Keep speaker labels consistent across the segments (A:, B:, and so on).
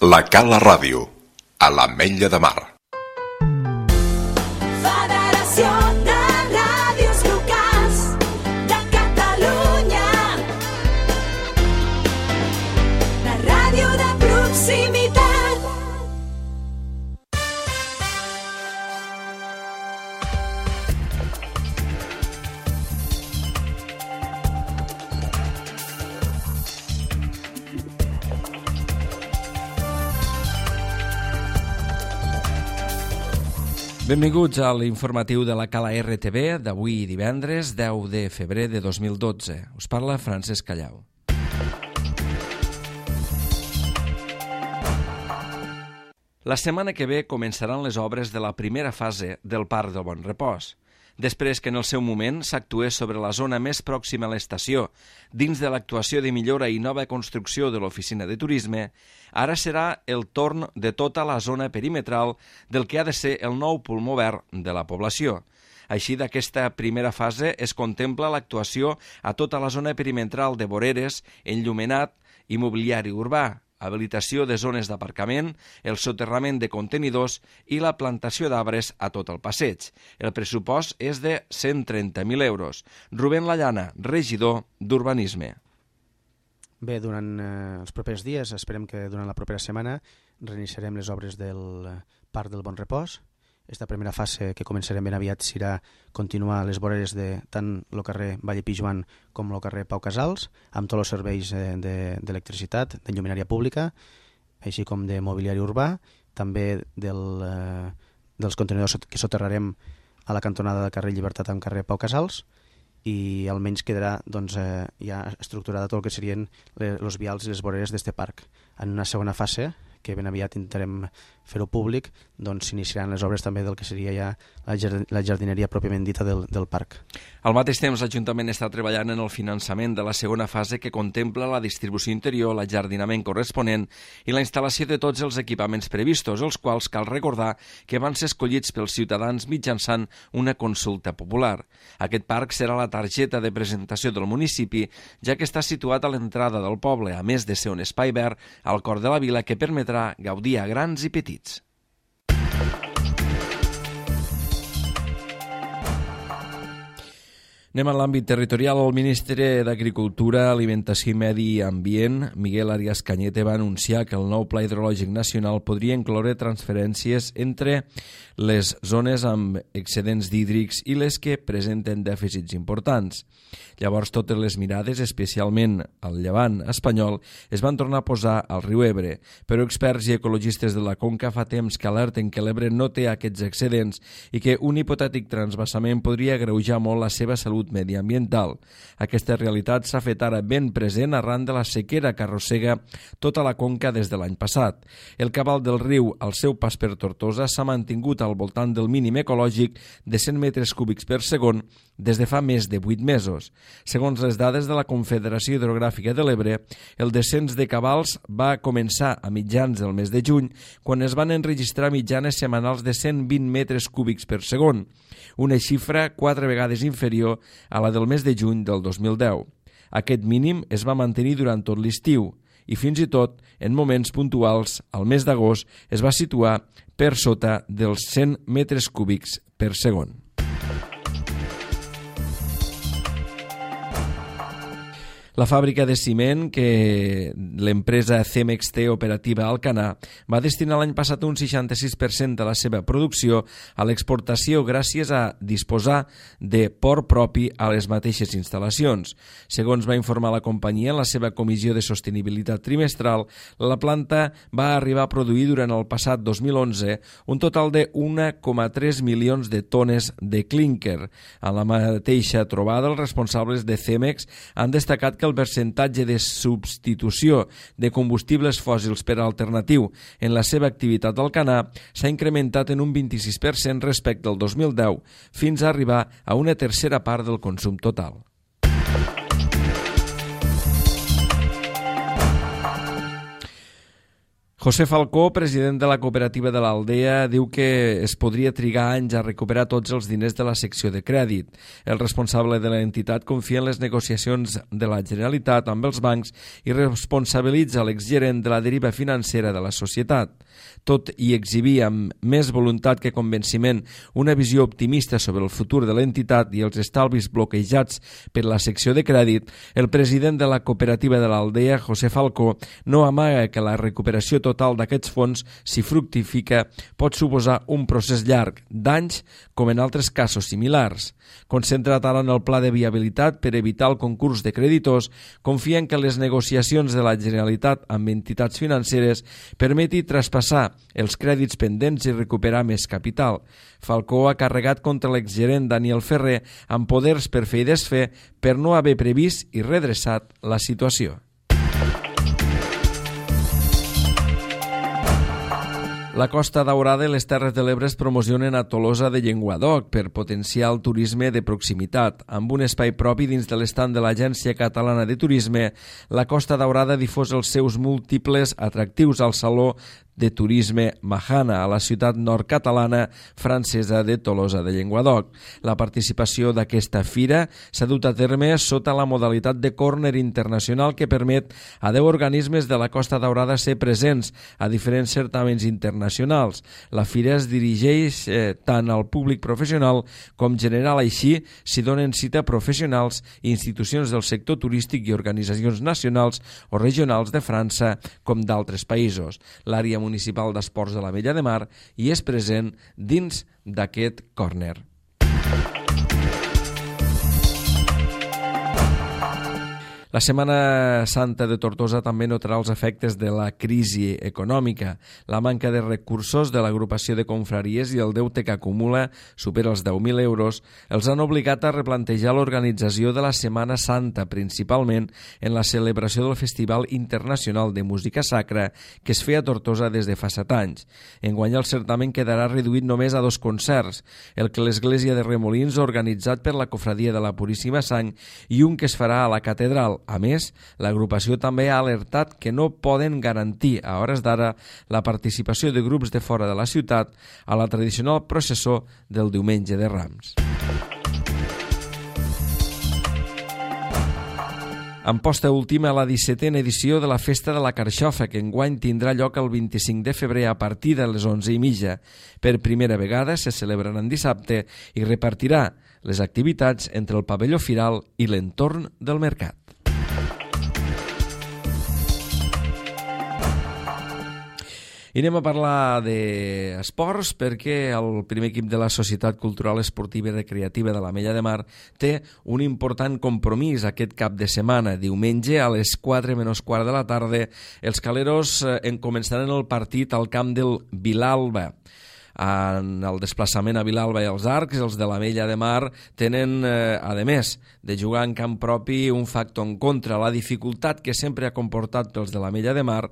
A: La Cala Ràdio, a l'Ametlla de Mar.
B: Federació de Ràdios Locals de Catalunya. La ràdio de proximitat.
C: Benvinguts a l'informatiu de la Cala RTV d'avui divendres 10 de febrer de 2012. Us parla Francesc Callau. La setmana que ve començaran les obres de la primera fase del Parc del Bon Repòs. Després que en el seu moment s'actués sobre la zona més pròxima a l'estació, dins de l'actuació de millora i nova construcció de l'oficina de turisme, ara serà el torn de tota la zona perimetral del que ha de ser el nou pulmó verd de la població. Així, d'aquesta primera fase es contempla l'actuació a tota la zona perimetral de voreres, enllumenat i mobiliari urbà, habilitació de zones d'aparcament, el soterrament de contenidors i la plantació d'arbres a tot el passeig. El pressupost és de 130.000 euros. Rubén Lallana, regidor d'Urbanisme.
D: Bé, durant els propers dies, esperem que durant la propera setmana, reiniciarem les obres del Parc del Bon Repòs. Esta primera fase que començarem ben aviat serà continuar les voreres de tant el carrer Valle Pijuan com el carrer Pau Casals, amb tots els serveis d'electricitat, de lluminària pública, així com de mobiliari urbà, també dels contenidors que soterrarem a la cantonada del carrer Llibertat amb carrer Pau Casals, i almenys quedarà ja estructurada tot el que serien els vials i les voreres d'este parc. En una segona fase, que ben aviat intentarem fer-ho públic, doncs s'iniciaran les obres també del que seria ja la jardineria pròpiament dita del parc.
C: Al mateix temps, l'Ajuntament està treballant en el finançament de la segona fase que contempla la distribució interior, l'ajardinament corresponent i la instal·lació de tots els equipaments previstos, els quals cal recordar que van ser escollits pels ciutadans mitjançant una consulta popular. Aquest parc serà la targeta de presentació del municipi, ja que està situat a l'entrada del poble, a més de ser un espai verd al cor de la vila que permetrà gaudir a grans i petits. Anem a l'àmbit territorial. El ministre d'Agricultura, Alimentació i Medi Ambient, Miguel Arias Cañete, va anunciar que el nou Pla Hidrològic Nacional podria incloure transferències entre les zones amb excedents hídrics i les que presenten dèficits importants. Llavors, totes les mirades, especialment al llevant espanyol, es van tornar a posar al riu Ebre, però experts i ecologistes de la conca fa temps que alerten que l'Ebre no té aquests excedents i que un hipotètic transvasament podria agreujar molt la seva salut mediambiental. Aquesta realitat s'ha fet ara ben present arran de la sequera que arrossega tota la conca des de l'any passat. El cabal del riu, al seu pas per Tortosa, s'ha mantingut al voltant del mínim ecològic de 100 metres cúbics per segon des de fa més de 8 mesos. Segons les dades de la Confederació Hidrogràfica de l'Ebre, el descens de cabals va començar a mitjans del mes de juny, quan es van enregistrar mitjanes setmanals de 120 metres cúbics per segon, una xifra 4 vegades inferior a la del mes de juny del 2010. Aquest mínim es va mantenir durant tot l'estiu i fins i tot, en moments puntuals, al mes d'agost, es va situar per sota dels 100 metres cúbics per segon. La fàbrica de ciment que l'empresa Cemex té operativa a Alcanar va destinar l'any passat un 66% de la seva producció a l'exportació gràcies a disposar de port propi a les mateixes instal·lacions. Segons va informar la companyia en la seva comissió de sostenibilitat trimestral, la planta va arribar a produir durant el passat 2011 un total de 1,3 milions de tones de clínquer. A la mateixa trobada, els responsables de Cemex han destacat que el percentatge de substitució de combustibles fòssils per alternatiu en la seva activitat al Alcanar s'ha incrementat en un 26% respecte al 2010, fins a arribar a una tercera part del consum total. José Falcó, president de la cooperativa de l'Aldea, diu que es podria trigar anys a recuperar tots els diners de la secció de crèdit. El responsable de l'entitat confia en les negociacions de la Generalitat amb els bancs i responsabilitza l'exgerent de la deriva financera de la societat. Tot i exhibir amb més voluntat que convenciment una visió optimista sobre el futur de l'entitat i els estalvis bloquejats per la secció de crèdit, el president de la cooperativa de l'Aldea, José Falcó, no amaga que la recuperació total d'aquests fons, si fructifica, pot suposar un procés llarg d'anys com en altres casos similars. Concentrat ara en el pla de viabilitat per evitar el concurs de creditors, confia en que les negociacions de la Generalitat amb entitats financeres permeti traspassar els crèdits pendents i recuperar més capital. Falcó ha carregat contra l'exgerent Daniel Ferrer amb poders per fer i desfer per no haver previst i redreçat la situació. La Costa Daurada i les Terres de l'Ebre es promocionen a Tolosa de Llenguadoc per potenciar el turisme de proximitat. Amb un espai propi dins de l'estand de l'Agència Catalana de Turisme, la Costa Daurada difós els seus múltiples atractius al Saló de Turisme Mahana, a la ciutat nord-catalana francesa de Tolosa de Llenguadoc. La participació d'aquesta fira s'ha dut a terme sota la modalitat de córner internacional que permet a 10 organismes de la Costa Daurada ser presents a diferents certàmens internacionals. La fira es dirigeix tant al públic professional com general, així s'hi donen cita professionals, institucions del sector turístic i organitzacions nacionals o regionals de França com d'altres països. L'àrea municipal d'esports de l'Ametlla de Mar i és present dins d'aquest córner. La Setmana Santa de Tortosa també notarà els efectes de la crisi econòmica. La manca de recursos de l'agrupació de confraries i el deute que acumula supera els 10.000 euros els han obligat a replantejar l'organització de la Setmana Santa, principalment en la celebració del Festival Internacional de Música Sacra que es feia a Tortosa des de fa 7 anys. Enguany el certamen quedarà reduït només a 2 concerts, el que l'Església de Remolins ha organitzat per la Cofradia de la Puríssima Sang i un que es farà a la Catedral. A més, l'agrupació també ha alertat que no poden garantir a hores d'ara la participació de grups de fora de la ciutat a la tradicional processó del Diumenge de Rams. En posta última a la 17a edició de la Festa de la Carxofa, que enguany tindrà lloc el 25 de febrer a partir de les 11:30. Per primera vegada se celebrarà en dissabte i repartirà les activitats entre el pavelló firal i l'entorn del mercat. I anem a parlar d'esports perquè el primer equip de la Societat Cultural Esportiva i Recreativa de l'Ametlla de Mar té un important compromís aquest cap de setmana. Diumenge a les 4:15 de la tarda els caleros començaran el partit al camp del Vilalba. En el desplaçament a Vilalba i als Arcs, els de l'Ametlla de Mar tenen, a més de jugar en camp propi, un factor en contra, la dificultat que sempre ha comportat pels de l'Ametlla de Mar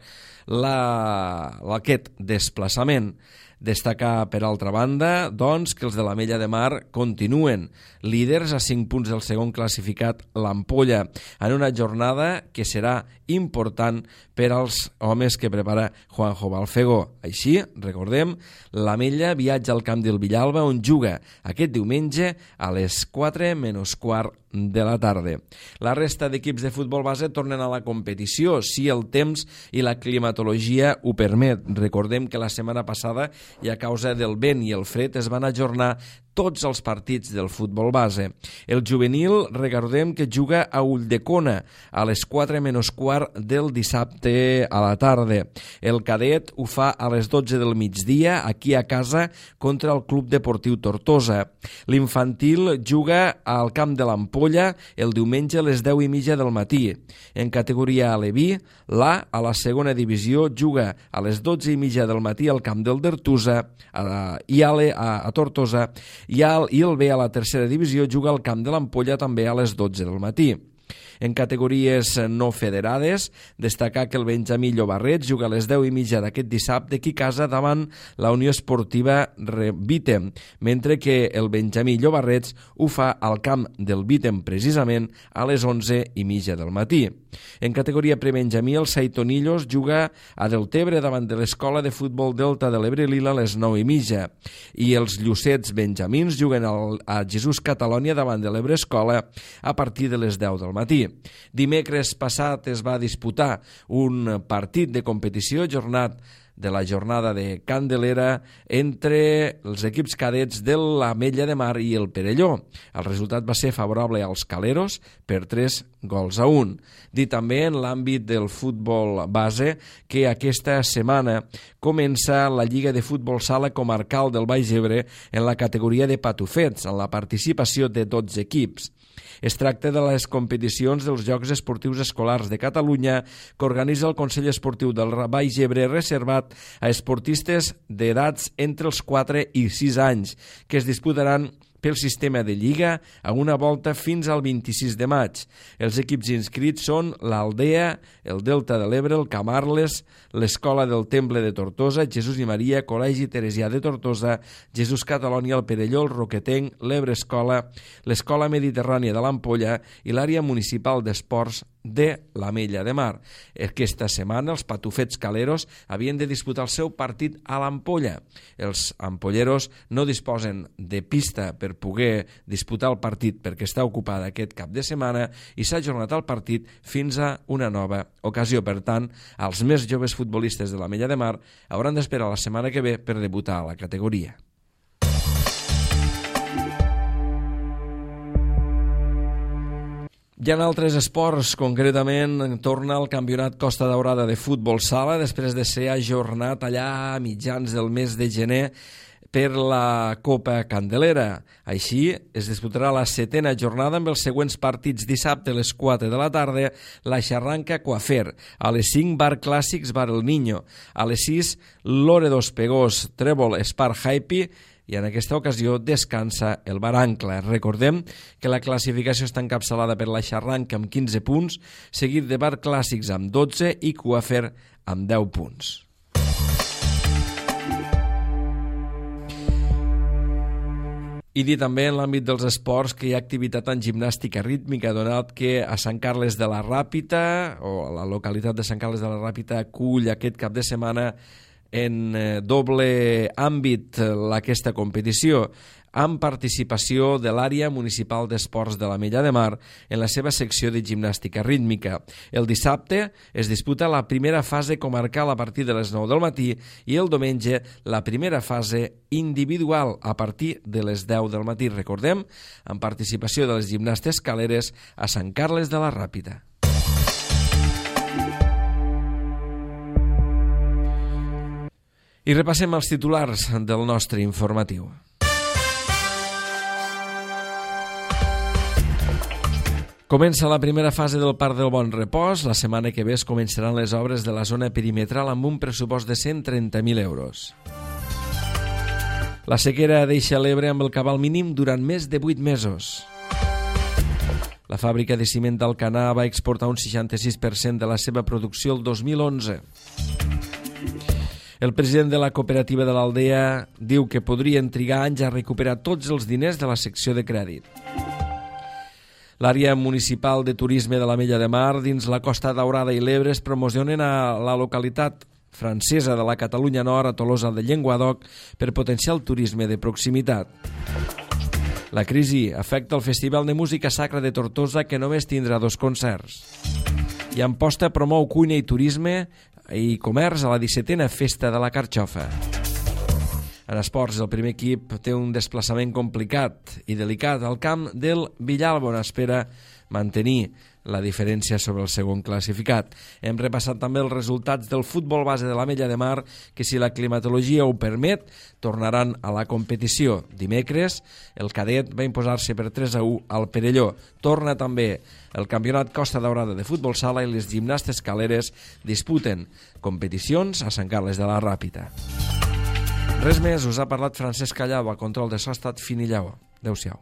C: aquest desplaçament. Destacar, per altra banda, doncs, que els de l'Ametlla de Mar continuen líders a 5 punts del segon classificat, l'Ampolla, en una jornada que serà important per als homes que prepara Juanjo Balfegó. Així, recordem, l'Ametlla viatja al camp del Villalba, on juga aquest diumenge a les 4:15 de la tarda. La resta d'equips de futbol base tornen a la competició, si el temps i la climatologia ho permet. Recordem que la setmana passada, i a causa del vent i el fred, es van ajornar tots els partits del futbol base. El juvenil, recordem que juga a Ulldecona a les 4:15 del dissabte a la tarda. El cadet ho fa a les 12 del migdia, aquí a casa, contra el Club Deportiu Tortosa. L'infantil juga al camp de l'Ampolla el diumenge a les 10:30 del matí. En categoria Aleví, l'A, a la segona divisió, juga a les 12:30 del matí al camp del Dertusa i a Tortosa, i el B, a la tercera divisió, juga al camp de l'Ampolla també a les 12 del matí. En categories no federades, destacar que el Benjamí Llobarrets juga a les 10:30 d'aquest dissabte aquí a casa davant la Unió Esportiva Vítem, mentre que el Benjamí Llobarrets ho fa al camp del Vítem precisament a les 11:30 del matí. En categoria prebenjamí, el Saitonillos juga a Deltebre davant de l'Escola de Futbol Delta de l'Ebre Lila a les 9:30 i els Llucets benjamins juguen a Jesús Catalònia davant de l'Ebre Escola a partir de les 10 del matí. Dimecres passat es va disputar un partit de competició de la jornada de Candelera entre els equips cadets de l'Ametlla de Mar i el Perelló. El resultat va ser favorable als caleros per 3-1. Dir també en l'àmbit del futbol base que aquesta setmana comença la Lliga de Futbol Sala Comarcal del Baix Ebre en la categoria de patufets, amb la participació de 12 equips. Es tracta de les competicions dels Jocs Esportius Escolars de Catalunya que organitza el Consell Esportiu del Baix Ebre reservat a esportistes d'edats entre els 4 i 6 anys, que es disputaran pel sistema de Lliga a una volta fins al 26 de maig. Els equips inscrits són l'Aldea, el Delta de l'Ebre, el Camarles, l'Escola del Temple de Tortosa, Jesús i Maria, Col·legi Teresià de Tortosa, Jesús Catalònia, el Perelló, el Roquetenc, l'Ebre Escola, l'Escola Mediterrània de l'Ampolla i l'àrea municipal d'esports de l'Ametlla de Mar. Aquesta setmana els patufets caleros havien de disputar el seu partit a l'Ampolla. Els ampolleros no disposen de pista per poder disputar el partit perquè està ocupada aquest cap de setmana i s'ha ajornat el partit fins a una nova ocasió. Per tant, els més joves futbolistes de l'Ametlla de Mar hauran d'esperar la setmana que ve per debutar a la categoria. Hi ha altres esports, concretament torna el Campionat Costa Daurada de futbol sala després de ser ajornat allà a mitjans del mes de gener per la Copa Candelera. Així, es disputarà la 7ª jornada amb els següents partits. Dissabte a les 4 de la tarda, la Xarranca Coafer. A les 5, Bar Clàssics Bar El Niño. A les 6, Loredo Espegós Trèvol Spar Happy. I en aquesta ocasió descansa el Bar Ancla. Recordem que la classificació està encapçalada per la Xarranca amb 15 punts, seguit de Bar Clàssics amb 12 i Coafer amb 10 punts. I dir també en l'àmbit dels esports que hi ha activitat en gimnàstica rítmica, donat que a Sant Carles de la Ràpita, o a la localitat de Sant Carles de la Ràpita, acull aquest cap de setmana en doble àmbit aquesta competició, amb participació de l'àrea municipal d'esports de l'Ametlla de Mar en la seva secció de gimnàstica rítmica. El dissabte es disputa la primera fase comarcal a partir de les 9 del matí i el diumenge la primera fase individual a partir de les 10 del matí. Recordem, amb participació de les gimnastes caleres a Sant Carles de la Ràpita. I repassem els titulars del nostre informatiu. Comença la primera fase del Parc del Bon Repòs. La setmana que ve es començaran les obres de la zona perimetral amb un pressupost de 130.000 euros. La sequera deixa l'Ebre amb el cabal mínim durant més de 8 mesos. La fàbrica de ciment d'Alcanar va exportar un 66% de la seva producció el 2011. El president de la cooperativa de l'Aldea diu que podrien trigar anys a recuperar tots els diners de la secció de crèdit. L'àrea municipal de turisme de l'Ametlla de Mar dins la Costa Daurada i l'Ebre es promocionen a la localitat francesa de la Catalunya Nord, a Tolosa de Llenguadoc, per potenciar el turisme de proximitat. La crisi afecta el Festival de Música Sacra de Tortosa, que només tindrà 2 concerts. I Amposta promou cuina i turisme i comerç a la 17a Festa de la Carxofa. En esports, el primer equip té un desplaçament complicat i delicat al camp del Villalba, on espera mantenir la diferència sobre el segon classificat. Hem repassat també els resultats del futbol base de l'Ametlla de Mar, que, si la climatologia ho permet, tornaran a la competició. Dimecres, el cadet va imposar-se per 3-1 al Perelló. Torna també el Campionat Costa Daurada de futbol sala i les gimnastes caleres disputen competicions a Sant Carles de la Ràpita. Res més, us ha parlat Francesc Callau, a control de so ha estat Fini Lleó. Adéu-siau.